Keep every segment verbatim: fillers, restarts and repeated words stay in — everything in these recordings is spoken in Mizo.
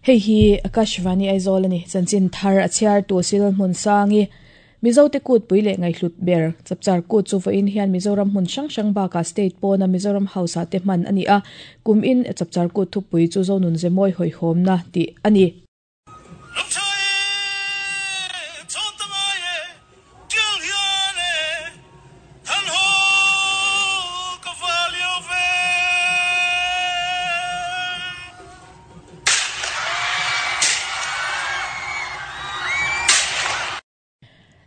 Hei hi Akashvani Aizawl ani chanchin thar a chhiar tu sil hmun sangi Mizo te kut pui leh ngaihhlut ber chapchar kut chu vawiin hian Mizoram hmun hrang hrang bakah state pawna Mizoram House ah te hman ani a kum in chapchar kut thupui chu zonun zemawi hawihhawmna tih ani.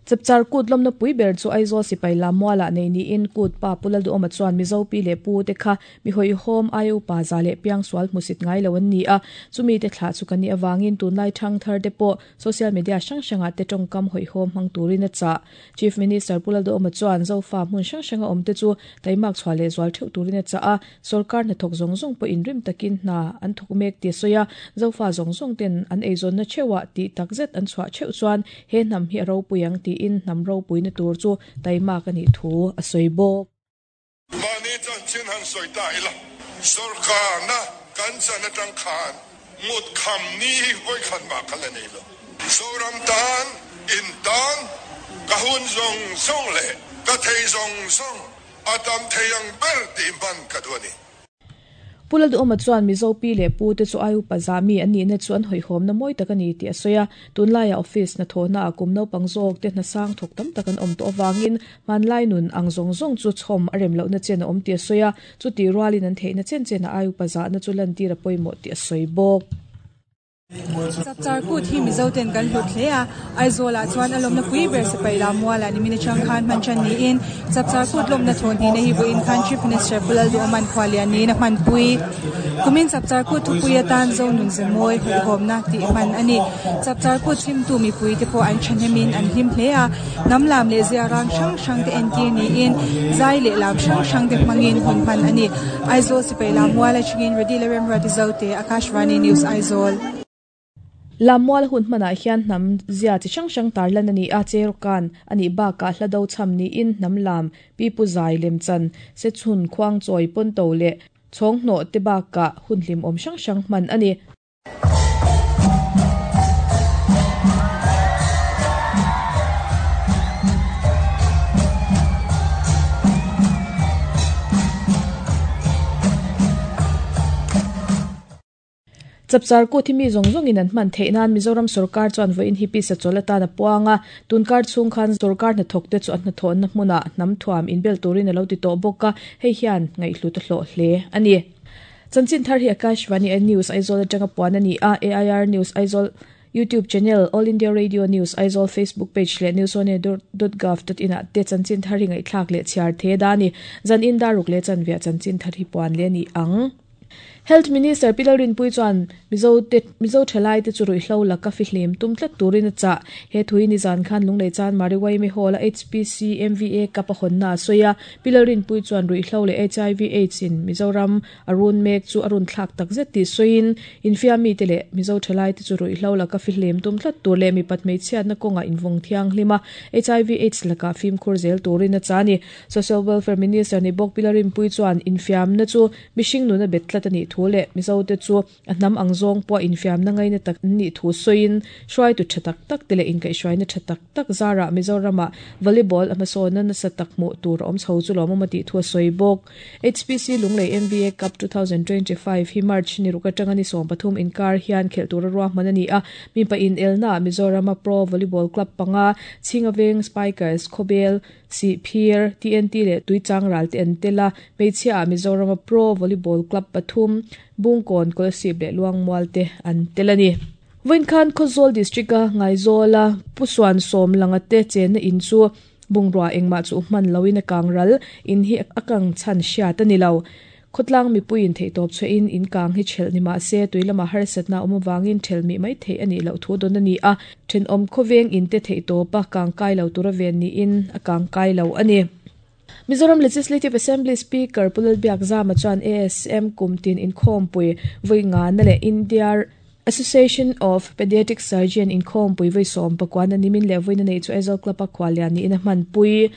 Chapchar kut lawmna pui ber chu Aizawl sipai lammualah nei niin kut pa Pulal Duhawma chuan Mizo pi leh pu te kha mi hawihhawm ai upa za leh piang sual hmusit ngai lo an ni a chumi te thlah chu kan ni awangin tunlai thang thar te pawh social media hrang hrangah te tawngkam hawihhawm hmang turin a chah. Chief Minister Pulal Duhawma chuan Zofa hmun hrang hranga awm te chu taimak chhuah leh zual theuh turin a chah a sarkar hnathawk zawng zawng pawh inrim takin hna an thawk mek ti a sawi a Zofa zawng zawng ten an eizawnna theuhah tih takzet an chhuah theuh chuan he hnam hi a ropui ang ti in hnam ropui na tur chu taimak ani thu a sawi bawk. Mani chanchin han sawi ta ila sarkar na kan chan atang khan ngut kham ni hoi khan ma khala nei lo Zoram tan in tan ka hun zong zong le ka thei zong zong atam theiang ber ti man ka duani. Pulal Duhawma chuan Mizo pi leh pu te chu ai upa zami an nih na chu an hawihhawm na mawi tak ani tih a sawi a tunlaia office na thawhna a kum naupang zawk te hna sang thawk tam tak an awm tawh awangin hmanlai nun ang zawng zawng chu chhawm a rem lohna chen a awm tih a sawi a chuti rualin an theihna chen chen a ai upa zahna chu lan tir a pawimawh tih a sawi bawk. Chapchar kut hi Mizo ten kan hlut hle a Aizawl ah chuan a lawmna pui ber sipai lammualah ni mina chang khan hman than niin chapchar kut lawmna thawn hnih na hi vawiin khan Chief Minister Pulal Duhawman khualian niin a hman pui kumin chapchar kut thupui atan zonun zemawi hawihhawmna tih hman ani. Chapchar kut chhimtu mipui te pawh an thahnemin an hlim hle a hnam lam leh zia rang hrang hrang te entir niin zai leh lam hrang hrang te hmangin hun hman ani. Aizawl sipai lammual atangin Radila Remruati Zote Akashvani News Aizawl. Lammual hun hmanah hian hnam zia chi hrang hrang tarlan ani a cherukan ani bakah hla do cham niin hnam lam pi pu zai lem chan se chhun khuang chawi pawn to leh chhawng hnawh te bakah hun hlim awm hrang hrang hman ani. Chapchar kut hi mi zawng zawngin an hman theih nan Mizoram sarkar chuan vawiin hi pisa chawl atan a puanga tunkar chhung khan sarkar hnathawk te chu an hnathawhna hmunah hnam thuam inbel turin a lo ti tawh bawk a hei hian ngaihhlut a hlawh hle ani. Chanchin thar hi Akashvani News Aizawl atanga puan ani a A I R News Aizawl YouTube channel All India Radio News Aizawl Facebook page leh newsone dot gov dot in ah te chanchin thar hi ngaihthlak leh chhiar the dani zan in daruk leh chanvia chanchin thar hi puan le ni ang. Health Minister Pilar Rinpui chuan Mizo te Mizo thalai te chu ruihhlo laka fi hlim tum tlat turin a chah he thui ni zan khan lunglei chan Mariwai me hall a H P C M V A kapa honna soya Pilar Rinpui chuan ruihhlo leh H I V AIDS in Mizoram arun mek chu arun thlak takzet ti soin infiami te leh Mizo thalai te chu ruihhlo laka fi hlim tum tlat tur leh mi patmei chhiatna kawnga invawng thiang hlima H I V AIDS laka fim khur zel turin a chani. Social Welfare Minister ni bawk Pilar Rinpui chuan infiamna chu mihring nuna bet tlat ani thu le Mizo te chu a hnam ang zawng pawh infiamna ngaina tak ni thu sawiin hruai tu tha tak tak te leh inkaihhruaina tha tak tak zara Mizorama volleyball a hmasawnna nasa tak hmuh tur a awm chho chu lawm awm a tih thu a sawi bawk. H P C Lunglei M V A Cup two thousand twenty-five hi March ni ruk atanga ni sawm pathum inkar hian khelh tur a ruahman ani a mipa in elna Mizorama Pro Volleyball Club panga Chingaveng Spikers Khawbel Sihphir T N T leh Tuichang ral te an tela hmeichhia Mizorama Pro Volleyball Club pathum Bungkawn Kolasib leh Luangmual te an tel ani. Vawiin khan Khawzawl District a Ngaizawla Pusuan sawm langa te chenna in chu bungrua engmah chu hman loin a kang ral in hi a kang chhan hriat ani lo. Khawtlang mipuiin theihtawp chhuahin in kang hi thelh ni mah se tuilama harsatna awm awangin thelh mi mai theih ani loh thu dawn ani a thenawm khawveng in te theihtawpa kang kai lo tura ven niin a kang kai lo ani. Mizoram Legislative Assembly Speaker Pulal Biakzama chuan A S M kumtin inkhawmpui vawi nga na leh India Association of Pediatric Surgeon inkhawmpui vawi sawm pakuan a nimin leh vawi na nei chu Aizawl Club a khualian niin a hman pui.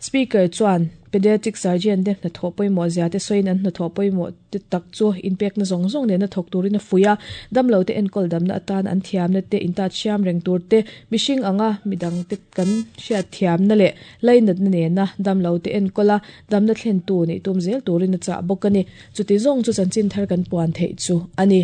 Speaker chuan Pediatric surgeon te hnathawh pawimawh zia te sawiin an hnathawh pawimawh te tak chu inpekna zawng zawng nena thawk turin a fuih a, damlo te enkawl damna atan an thiamna te intat hriam reng tur te, mihring anga midang te kan hriat thiamna leh lainatna nena damlo te enkawl a, damna thlen tu nih tum zel turin a chah bawk a ni. Chuti zawng chu chanchin thar kan puan theih chu a ni.